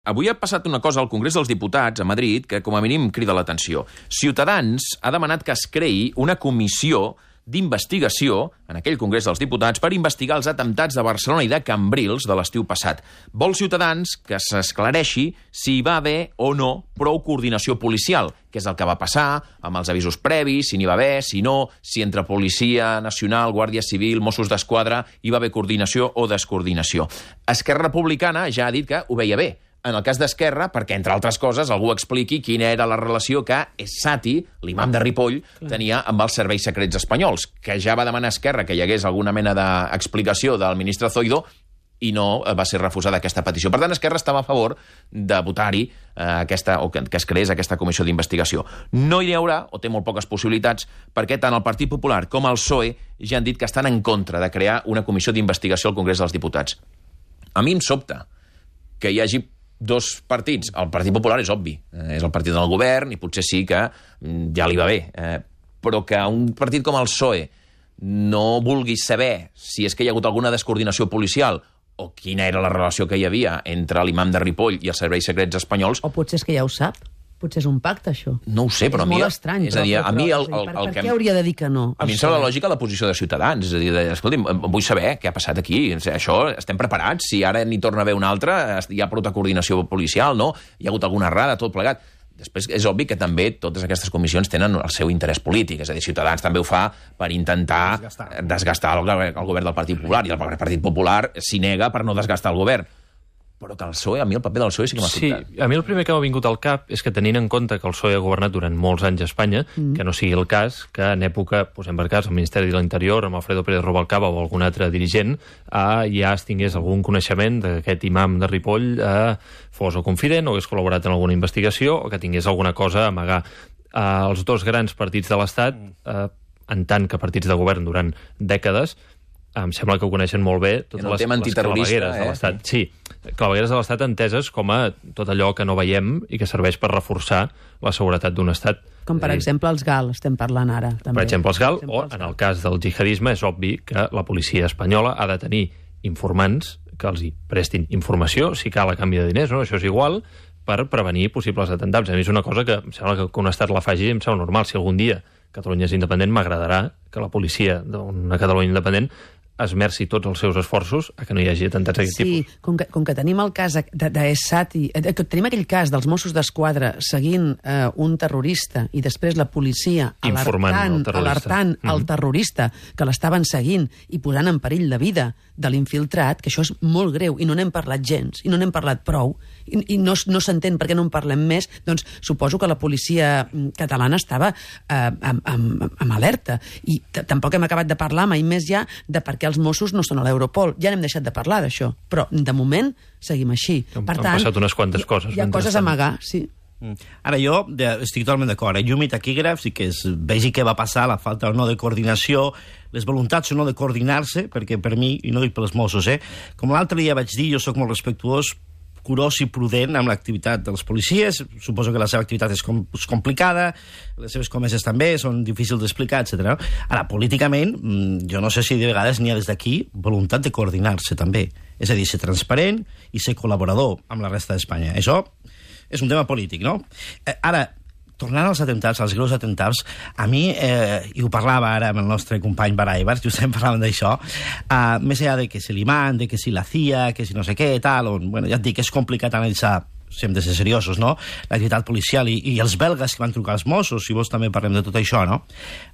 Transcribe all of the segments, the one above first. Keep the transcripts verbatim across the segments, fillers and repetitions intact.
Avui ha passat una cosa al Congrés dels Diputats a Madrid que, com a mínim, crida l'atenció. Ciutadans ha demanat que es creï una comissió d'investigació en aquell Congrés dels Diputats per investigar els atemptats de Barcelona i de Cambrils de l'estiu passat. Vol Ciutadans que s'esclareixi si hi va haver o no prou coordinació policial, què és el que va passar, amb els avisos previs, si n'hi va haver, si no, si entre Policia Nacional, Guàrdia Civil, Mossos d'Esquadra hi va haver coordinació o descoordinació. Esquerra Republicana ja ha dit que ho veia bé. En el cas d'Esquerra, perquè, entre altres coses, algú expliqui quina era la relació que Essati, l'imam de Ripoll, tenia amb els serveis secrets espanyols, que ja va demanar a Esquerra que hi hagués alguna mena d'explicació del ministre Zoido i no va ser refusada aquesta petició. Per tant, Esquerra estava a favor de votar-hi eh, aquesta, o que, que es creés aquesta comissió d'investigació. No hi haurà, o té molt poques possibilitats, perquè tant el Partit Popular com el P S O E ja han dit que estan en contra de crear una comissió d'investigació al Congrés dels Diputats. A mi em sobta que hi hagi dos partits. El Partit Popular és obvi, eh, és el partit del govern i potser sí que mm, ja li va bé, eh, però que un partit com el P S O E no vulgui saber si és que hi ha hagut alguna descoordinació policial o quina era la relació que hi havia entre l'imam de Ripoll i els serveis secrets espanyols... O potser és que ja ho sap. Potser és un pacte, això. No ho sé, però és a mi... És molt estrany. És a dir, a mi el, el, per, el per que... què hauria de dir que no? A mi em sembla lògica la posició de Ciutadans. És a dir, de, escolti'm, vull saber què ha passat aquí. Això, estem preparats? Si ara n'hi torna a haver una altra, hi ha prou coordinació policial, no? Hi ha hagut alguna errada, tot plegat. Després és obvi que també totes aquestes comissions tenen el seu interès polític. És a dir, Ciutadans també ho fa per intentar desgastar, desgastar el, el govern del Partit Popular. I el Partit Popular s'hi nega per no desgastar el govern. Però que el P S O E, a mi el paper del P S O E sí que m'ha sobtat. Sí, a mi el primer que m'ha vingut al cap és que tenint en compte que el P S O E ha governat durant molts anys a Espanya, mm. que no sigui el cas que en època, posem per cas, el Ministeri de l'Interior, amb Alfredo Pérez Rubalcaba o algun altre dirigent, eh, ja es tingués algun coneixement d'aquest imam de Ripoll eh, fos o confident o hagués col·laborat en alguna investigació o que tingués alguna cosa a amagar. Eh, els dos grans partits de l'Estat, eh, en tant que partits de govern durant dècades, em sembla que ho coneixen molt bé totes les, les clavegueres de l'Estat. Sí, clavegueres de l'Estat enteses com a tot allò que no veiem i que serveix per reforçar la seguretat d'un Estat. Com, per eh, exemple, els GAL, estem parlant ara. També. Per exemple, els GAL, o en el cas del jihadisme, és obvi que la policia espanyola ha de tenir informants que els hi prestin informació, si cal a canvi de diners, no? Això és igual, per prevenir possibles atemptats. A mi és una cosa que em sembla que un Estat la faci em sembla normal. Si algun dia Catalunya és independent, m'agradarà que la policia d'una Catalunya independent esmerci tots els seus esforços a que no hi hagi atemptats d'aquest sí, tipus. Sí, com, com que tenim el cas d'Essati, de, que tenim aquell cas dels Mossos d'Esquadra seguint eh, un terrorista i després la policia alertant, el terrorista, alertant mm-hmm. el terrorista que l'estaven seguint i posant en perill la vida de l'infiltrat, que això és molt greu i no n'hem parlat gens, i no n'hem parlat prou, i, i no, no s'entén per què no en parlem més, doncs suposo que la policia catalana estava eh, amb, amb, amb alerta. I tampoc hem acabat de parlar mai més ja de per què els Mossos no són a l'Europol. Ja n'hem deixat de parlar d'això, però de moment seguim així. Han, per han tant, passat unes quantes coses. Hi ha coses a amagar, sí. Ara, jo de, estic totalment d'acord. Eh? Llum i taquígrafs i que es vegi què va passar, la falta o no de coordinació, les voluntats o no de coordinar-se, perquè per mi, i no dic pels Mossos, eh? com l'altre dia vaig dir, jo sóc molt respectuós, curós i prudent amb l'activitat dels policies. Suposo que la seva activitat és, com, és complicada, les seves comeses també són difícils d'explicar, etcètera. Ara, políticament, jo no sé si de vegades n'hi ha des d'aquí voluntat de coordinar-se també. És a dir, ser transparent i ser col·laborador amb la resta d'Espanya. Això és un tema polític, no? Eh, ara, tornant als atemptats, als greus atemptats, a mi, eh, i ho parlava ara amb el nostre company Baraibars, justament parlàvem d'això, eh, més enllà de que si l'imam, de que si la C I A, que si no sé què, tal, on, bueno, ja et dic, és complicat analitzar, si hem de ser seriosos, no?, l'activitat policial i, i els belgues que van trucar als Mossos, si vols també parlem de tot això, no?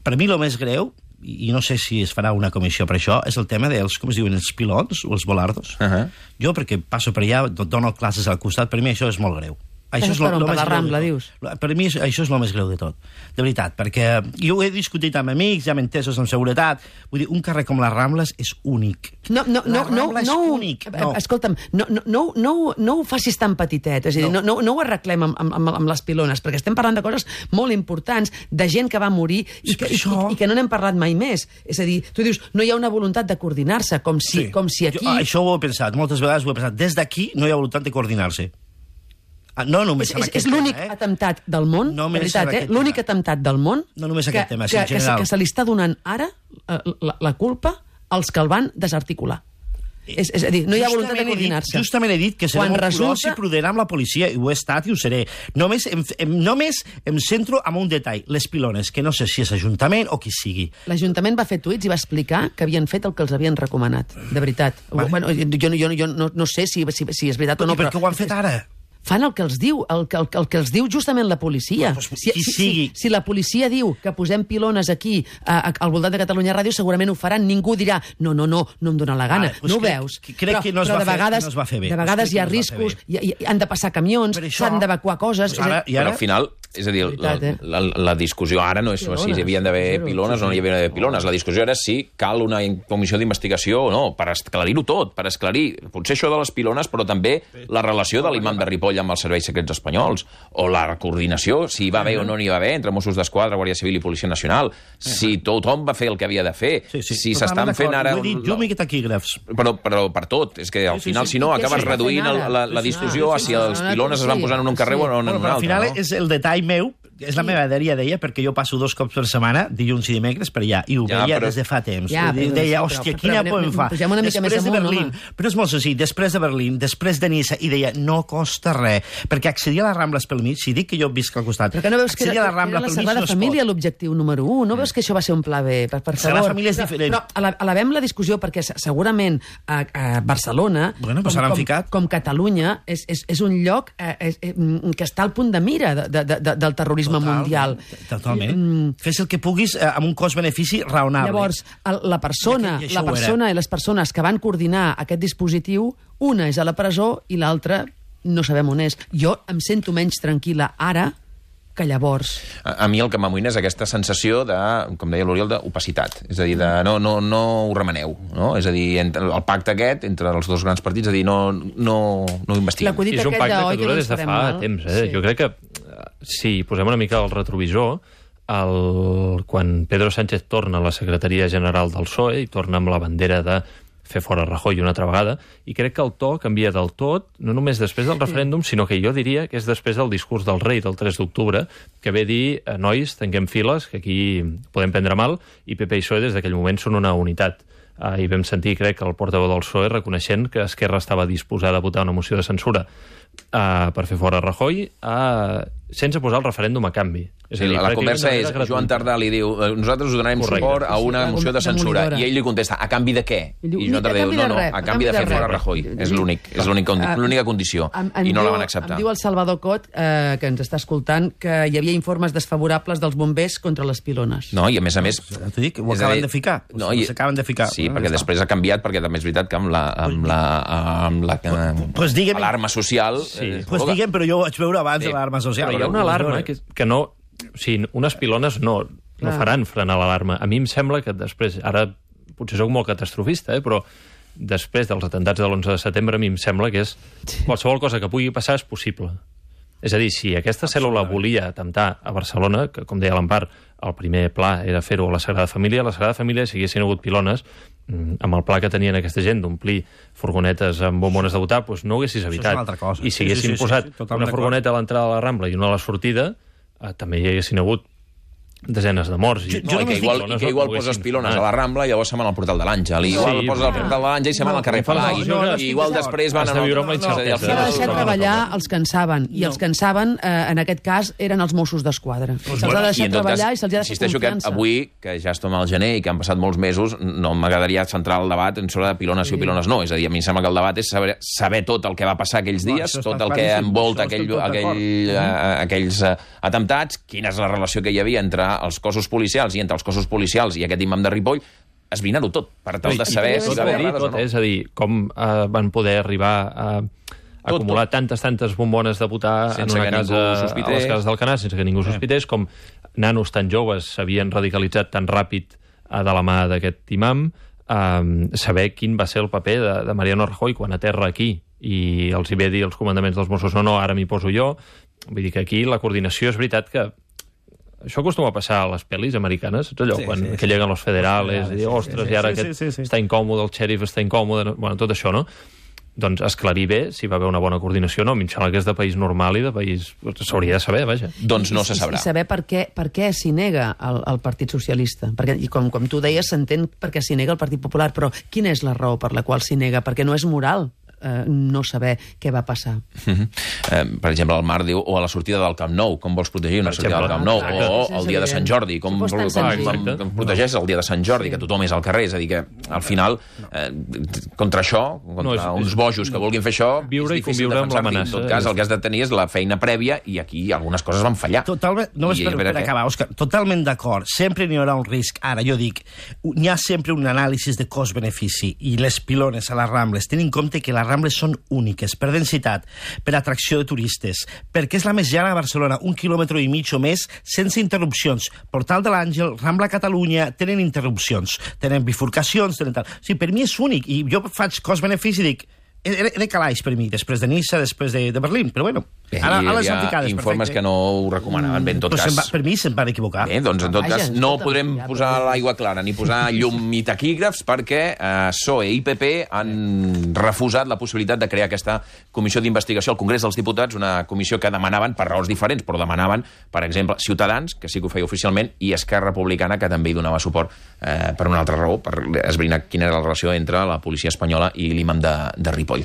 Per mi el més greu, i no sé si es farà una comissió per això, és el tema dels, com es diuen, els pilons o els volardos. Uh -huh. Jo, perquè passo per allà, dono classes al costat, per mi això és molt greu. Això és per lo, on, lo per la Rambla, dius? Per mi això és el més greu de tot, de veritat, perquè jo ho he discutit amb amics, ja m'he entesos amb seguretat, vull dir, un carrer com les Rambles és únic. No, no, la no, no, Rambla és no, únic. No. Escolta'm, no, no, no, no, no ho facis tan petitet, és a dir, no, no, no ho arreglem amb, amb, amb les pilones, perquè estem parlant de coses molt importants, de gent que va morir i que, això... i, i que no n'hem parlat mai més. És a dir, tu dius, no hi ha una voluntat de coordinar-se, com si, sí. com si aquí... Jo, això ho he pensat, moltes vegades ho he pensat. Des d'aquí no hi ha voluntat de coordinar-se. No només és, amb és, aquest és l'únic tema, eh? atemptat del món, no de veritat, eh? L'únic atemptat del món no només aquest que, tema, que, que, que se li està donant ara eh, la, la culpa als que el van desarticular. És, és a dir, no hi ha voluntat de coordinar-se. Justament he dit que seré molt curós i prudent amb la policia, i ho he estat i ho seré. Només em, em, només em centro en un detall, les pilones, que no sé si és Ajuntament o qui sigui. L'Ajuntament va fer tuits i va explicar que havien fet el que els havien recomanat, de veritat. Vale. Bueno, jo, jo, jo no, no sé si, si, si és veritat o no, però... I per què ho han fet ara? Fan el que els diu, el, el, el que els diu justament la policia. Pues, si, qui si, sigui. Si, si la policia diu que posem pilones aquí a, a, al voltant de Catalunya Ràdio, segurament ho faran. Ningú dirà, no, no, no, no em dona la gana. Vale, pues no ho crec, veus. Crec però, que no es, però va de vegades, fer, no es va fer bé. De vegades hi ha no riscos, i, i, han de passar camions, s'han d'evacuar coses... Pues ara, i ara... Però al final, és a dir, veritat, eh? la, la, la discussió ara no és pilones, si hi havien d'haver pilones o no hi havia d'haver pilones. La discussió era si cal una comissió d'investigació o no, per esclarir-ho tot, per esclarir potser això de les pilones, però també la relació de l'imam de Ripoll amb els serveis secrets espanyols, o la coordinació, si hi va haver o no n'hi va haver, entre Mossos d'Esquadra, Guàrdia Civil i Policia Nacional, si tothom va fer el que havia de fer, sí, sí. si s'estan fent ara... Ho he dit, jo m'he taquígrafs. Però, però per tot, és que al sí, sí, final, sí, si no, sí, acabes sí, reduint el, la, la discussió a si els pilones es van posar en un carrer o en un altre. Al final no? és el detall meu, és la meva dèria, deia, perquè jo passo dos cops per setmana, dilluns i dimecres, per allà, i ho ja, veia però... des de fa temps. Ja, però, deia, però, hòstia, però, quina però, por em fa. Pugem una mica després més de amunt, Berlín, home. però és molt senzill, després de Berlín, després de Niça, i deia, no costa res, perquè accedir a les Rambles pel mig, si dic que jo visc al costat, perquè no veus que accedir era, a la Rambla era la pel mig Sagrada no es Família pot. l'objectiu número un, no veus que això va ser un pla B, per, per favor. Sagrada Família és diferent. Però, però alabem la discussió, perquè segurament a, a Barcelona, bueno, pues com, com, com Catalunya, és, és, és un lloc eh, és, eh, que està al punt de mira de, de, de, del terrorisme Total, mundial. Totalment. Mm. Fes el que puguis eh, amb un cost-benefici raonable. Llavors, el, la persona, I, i la persona i les persones que van coordinar aquest dispositiu, una és a la presó i l'altra no sabem on és. Jo em sento menys tranquil·la ara que llavors. A, a mi el que m'amoïna és aquesta sensació de, com deia l'Oriol, d'opacitat. És a dir, de no, no, no ho remeneu. No? És a dir, entre, el pacte aquest entre els dos grans partits, és a dir, no, no, no ho investiguem. I és un pacte que dura des de fa mal. temps. Eh? Sí. Jo crec que, si posem una mica el retrovisor, el, quan Pedro Sánchez torna a la secretaria general del P S O E i torna amb la bandera de fer fora Rajoy una altra vegada, i crec que el to canvia del tot, no només després del referèndum, sinó que jo diria que és després del discurs del rei del tres d'octubre, que ve dir, nois, tanquem files, que aquí podem prendre mal, i P P i P S O E des d'aquell moment són una unitat. Uh, I vam sentir, crec, el portaveu del P S O E reconeixent que Esquerra estava disposada a votar una moció de censura uh, per fer fora Rajoy, uh, sense posar el referèndum a canvi. És Sí, a dir, la conversa és, gratuïta. Joan Tardà li diu, nosaltres us donarem Correcte. suport a una Sí, moció de censura, demolidora. i ell li contesta, a canvi de què? I diu, I Joan "Ni a Tardà diu, canvi no, de no, res, a canvi de fer fora Rajoy. És l'únic, és l'únic condi- Ah, l'única condició. Em, em I no diu, la van acceptar. Em diu el Salvador Cot, eh, que ens està escoltant, que hi havia informes desfavorables dels bombers contra les pilones. No, i a més a més... T'ho dic, ho és a acaben dir, de ficar. No, Ho i- s'acaben de ficar. Sí, Bueno, perquè ja després ha canviat, perquè també és veritat que amb la, amb la, amb la pues digue'm- alarma social... Sí. eh, Pues digue'm, però jo ho vaig veure abans Sí. de l'alarma social. Però hi ha una alarma que, que no... O sigui, unes pilones no, no Clar. faran frenar l'alarma. A mi em sembla que després, ara potser sóc molt catastrofista, eh, però després dels atentats de l'onze de setembre a mi em sembla que és qualsevol cosa que pugui passar és possible. És a dir, si aquesta cèl·lula volia atemptar a Barcelona, que com deia l'Empar, el primer pla era fer-ho a la Sagrada Família, a la Sagrada Família, si haguessin hagut pilones, amb el pla que tenien aquesta gent d'omplir furgonetes amb bombones de votar, doncs no ho haguessis evitat. és una altra cosa. I si Sí, haguessin sí, sí, sí, posat sí, totalment una furgoneta a l'entrada de la Rambla i una a la sortida, eh, també hi haguessin hagut desenes de morts. I, No, i que igual, i que igual poses pilones a la Rambla i llavors se'n van al portal de l'Àngel. I igual Sí, poses al però- portal de l'Àngel i se'n van al carrer no, Palai. no, no, no, I igual després van... Has de viure amb la no, no, incertesa. al S'ha de final- deixar no, no, treballar els que en saben, i els que en saben, eh, en aquest cas, eren els Mossos d'Esquadra. Se'ls ha de I deixar en tot treballar cas, i se'ls ha de fer insisteixo que confiança. avui, que ja estem al gener i que han passat molts mesos, no m'agradaria centrar el debat en sobre de pilones sí o pilones no. És a dir, a mi em sembla que el debat és saber, saber tot el que va passar aquells No, dies, això tot està el que claríssim, envolta això aquell, estem tot aquell, uh, aquells uh, atemptats, quina és la relació que hi havia entre els cossos policials i entre els cossos policials i aquest imam de Ripoll, esbrinar-ho tot, per tal de saber si va haver errades o no. És a dir, com eh, van poder arribar a Tot, acumular tot. tantes, tantes bombones de votar Sense en una que casa, ningú a sospités. les cases d'Alcanar, sense que ningú sospités, com nanos tan joves s'havien radicalitzat tan ràpid eh, de la mà d'aquest imam, eh, saber quin va ser el paper de, de Mariano Rajoy quan aterra aquí i els hi ve dir als comandaments dels Mossos no, no, ara m'hi poso jo. Vull dir que aquí la coordinació és veritat que això acostuma a passar a les pel·lis americanes, saps allò? Sí, Quan sí, que lleguen los federales, sí, i dir, sí, ostres, sí, i ara sí, aquest sí, sí, sí. està incòmode, el xèrif està incòmode, bueno, tot això, no? doncs esclarir bé si va haver una bona coordinació o no. A mi em sembla que és de país normal i de país... s'hauria de saber, vaja. Doncs no se sabrà. I saber per què, per què s'hi nega el, el Partit Socialista. Perquè, i com, com tu deies, s'entén per què s'hi nega el Partit Popular, però quina és la raó per la qual s'hi nega? Perquè no és moral eh, no saber què va passar. Mm-hmm. eh, per exemple, el Marc diu, o a la sortida del Camp Nou, com vols protegir una sortida del Camp Nou? Ah, o el dia de Sant Jordi, com, Si fos tan com, senzill. com protegeix el dia de Sant Jordi, que tothom és al carrer. És a dir, que al final, eh, contra això, contra No, és- uns és- bojos que vulguin fer això, Viure és i difícil conviure amb defensar-li. l'amenaça. En tot cas, el que has de tenir és la feina prèvia, i aquí algunes coses van fallar. Totalment, només I per, a veure per què- acabar, Òscar, totalment d'acord. Sempre n'hi haurà un risc. Ara, jo dic, n'hi ha sempre un anàlisi de cost-benefici i les pilones a les Rambles. Tenint en compte que les Rambles són úniques per densitat, per atracció de turistes, perquè és la més llarga de Barcelona, un quilòmetre i mig o més, sense interrupcions. Portal de l'Àngel, Rambla Catalunya, tenen interrupcions, tenen bifurcacions, tenen tal... O sigui, per mi és únic, i jo faig cost-benefici i dic, era, era calaix per mi, després de Niça, després de, de Berlín, però bueno, Bé, ara, hi ara les havia han ficades. informes perfecte. que no ho recomanaven. Bé, en tot Però se'n cas... va, per mi se'n van equivocar. Bé, doncs en tot Vaja, cas no escolta'm, podrem ja, posar però- l'aigua clara ni posar llum i taquígrafs perquè eh, P S O E i P P han refusat la possibilitat de crear aquesta comissió d'investigació al Congrés dels Diputats, una comissió que demanaven per raons diferents, però demanaven, per exemple, Ciutadans, que sí que ho feia oficialment, i Esquerra Republicana, que també hi donava suport eh, per una altra raó, per esbrinar quina era la relació entre la policia espanyola i l'imam de, de Ripoll.